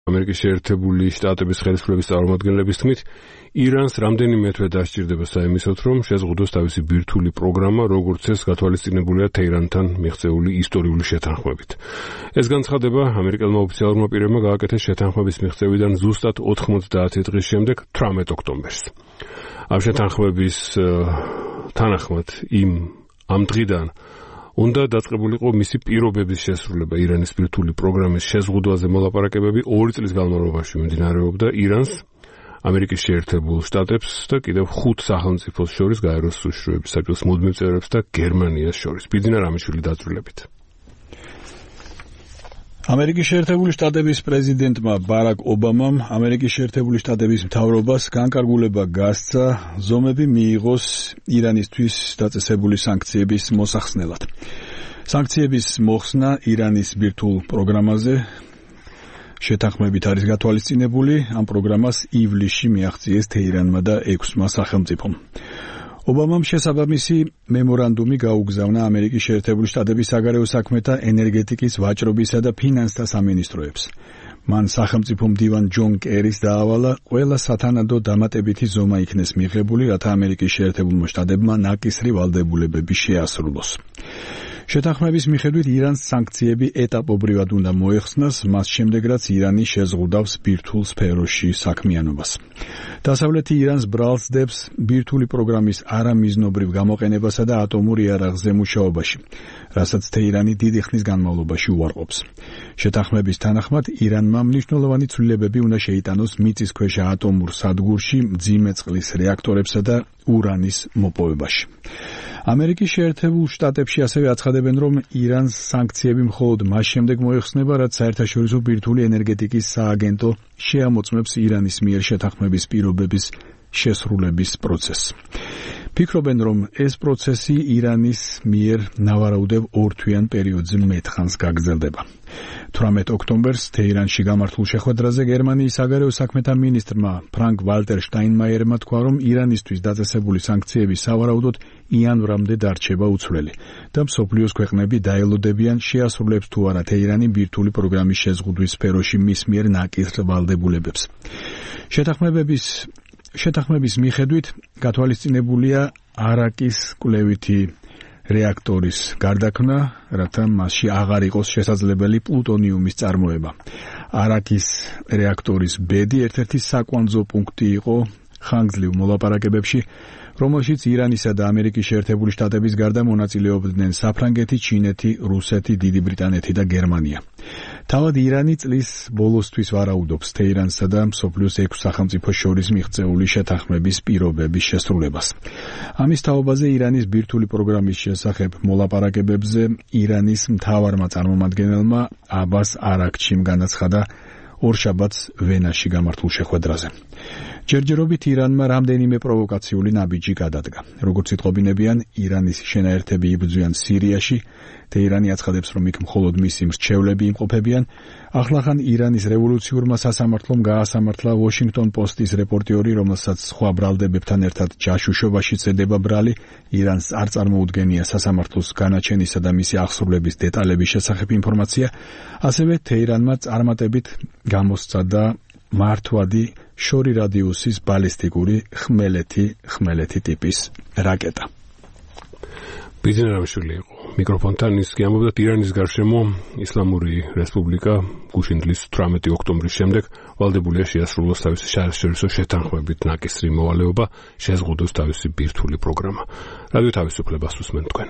ამერიკის შეერთებული შტატების ხელისუფლების წარმომადგენლების თქმით, ირანს რამდენიმე თვე დასჭირდება საიმისოდ, რომ შეზღუდოს თავისი ბირთვული პროგრამა, როგორც ეს გათვალისწინებულია თეირანთან მიღწეული ისტორიული შეთანხმებით. ეს განცხადება ამერიკელმა ოფიციალურმა პირებმა გააკეთეს შეთანხმების მიღწევიდან ზუსტად 90 დღის შემდეგ, 18 ოქტომბერს. ამ შეთანხმების თანახმად ამ დღიდან უნდა დაწყებულიყო მისი პირობების შესრულება. ირანის ბირთვული პროგრამის შეზღუდვაზე მოლაპარაკებები 2 წლის განმავლობაში მიმდინარეობდა ირანს, ამერიკის შეერთებულ შტატებს და კიდევ 5 სახელმწიფოს შორის გაეროს უშიშროების საბჭოს მუდმივ წევრებს და გერმანიას შორის. ბიძინა რამიშვილი დაწვრილებით. ამერიკის შეერთებული შტატების პრეზიდენტმა ბარაკ ობამამ ამერიკის შეერთებული შტატების მთავრობას განკარგულება გასცა ზომები მიიღოს ირანისთვის დაწესებული სანქციების მოსახსნელად. სანქციების მოხსნა ირანის ბირთვულ პროგრამაზე შეთანხმებით არის გათვალისწინებული. ამ პროგრამას ივლისში მიაღწიეს თეირანმა და 6 სახელმწიფომ. ობამამ შესაბამისი მემორანდუმი გაუგზავნა ამერიკის შეერთებული შტატების საგარეო საქმეთა, ენერგეტიკის, ვაჭრობისა და ფინანსთა სამინისტროებს. მან სახელმწიფო მდივან ჯონ კერის დაავალა ყველა სათანადო დამატებითი ზომა იქნეს მიღებული, რათა ამერიკის შეერთებულმა შტატებმა ნაკისრი ვალდებულებები შეასრულოს. შეთანხმების მიხედვით ირანს სანქციები ეტაპობრივად უნდა მოეხსნას, მას შემდეგ რაც ირანი შეზღუდავს ბირთვულ სფეროში საქმიანობას. დასავლეთი ირანს ბრალს დებს ბირთვული პროგრამის არამიზნობრივ გამოყენებასა და ატომურ იარაღზე მუშაობაში, რასაც თეირანი დიდი ხნის განმავლობაში უარყოფს. შეთანხმების თანახმად ირანმა მნიშვნელოვანი ცვლილებები უნდა შეიტანოს მიწისქვეშა ატომურ სადგურში, მძიმე წყლის რეაქტორებსა და ურანის მოპოვებაში. ამერიკის შეერთებულ შტატებში ასევე აცხადებენ, რომ ირანს სანქციები მხოლოდ მას შემდეგ მოეხსნება, რაც საერთაშორისო ბირთვული ენერგეტიკის სააგენტო შეამოწმებს ირანის მიერ შეთანხმების პირობების შესრულების პროცესს. ფიქრობენ, რომ ეს პროცესი ირანის მიერ ნავარაუდევ 2 თვიან პერიოდზე მეტხანს გაგრძელდება. 18 ოქტომბერს თეირანში გამართულ შეხვედრაზე გერმანიის საგარეო საქმეთა მინისტრმა ფრანკ ვალტერ შტაინმაიერმა თქვა, რომ ირანისთვის დაწესებული სანქციები სავარაუდოდ იანვრამდე დარჩება უცვლელი და მსოფლიოს ქვეყნები დაელოდებიან შეასრულებს თუ არა თეირანი ბირთვული პროგრამის შეზღუდვის სფეროში მის მიერ ნაკისრ ვალდებულებებს. შეთანხმების მიხედვით გათვალისწინებულია არაკის კვლევითი რეაქტორის გარდაქმნა, რათა მასში აღარ იყოს შესაძლებელი პლუტონიუმის წარმოება. არაკის რეაქტორის ბედი ერთ-ერთი საკვანძო პუნქტი იყო ხანგრძლივ მოლაპარაკებებში, რომელშიც ირანისა და ამერიკის შეერთებული შტატების გარდა მონაწილეობდნენ საფრანგეთი, ჩინეთი, რუსეთი, დიდი ბრიტანეთი და გერმანია. თავად ირანი წლის ბოლოსთვის ვარაუდობს თეირანსა და მსოფლიოს 6 სახელმწიფოს შორის მიღწეული შეთანხმების პირობების შესრულებას. ამის თაობაზე ირანის ბირთვული პროგრამის შესახებ მოლაპარაკებებზე ირანის მთავარმა წარმომადგენელმა აბას არაქჩიმ განაცხადა ორშაბათს ვენაში გამართულ შეხვედრაზე. ჯერჯერობით ირანმა რამდენიმე პროვოკაციული ნაბიჯი გადადგა. როგორც იტყობინებიან, ირანის შენაერთები იბრძვიან სირიაში, თეირანი აცხადებს, რომ იქ მხოლოდ მისი მრჩევლები იმყოფებიან. ახლახან ირანის რევოლუციურმა სასამართლომ გაასამართლა Washington Post-ის რეპორტიორი, რომელსაც სხვა ბრალდებებთან ერთად ჯაშუშობაში წედება ბრალი, ირანს არ წარმოუდგენია სასამართლოს განაჩენისა და მისი აღსრულების დეტალების შესახებ ინფორმაცია, ასევე თეირანმა წარმატებით გამოსცადა მართვადი შორი რადიუსის ბალისტიკური ხმელეთი ტიპის რაკეტა. ბიძინა რამიშვილი იყო მიკროფონთან, ის გიამბობდა ირანის გარშემო ისლამური რესპუბლიკა გუშინდლის 18 ოქტომბრის შემდეგ ვალდებულია შეასრულოს თავისი საერთაშორისო შეთანხმებით ნაკისრი მოვალეობა, შეზღუდოს თავისი ბირთვული პროგრამა. რადიო თავისუფლებას უსმენთ თქვენ.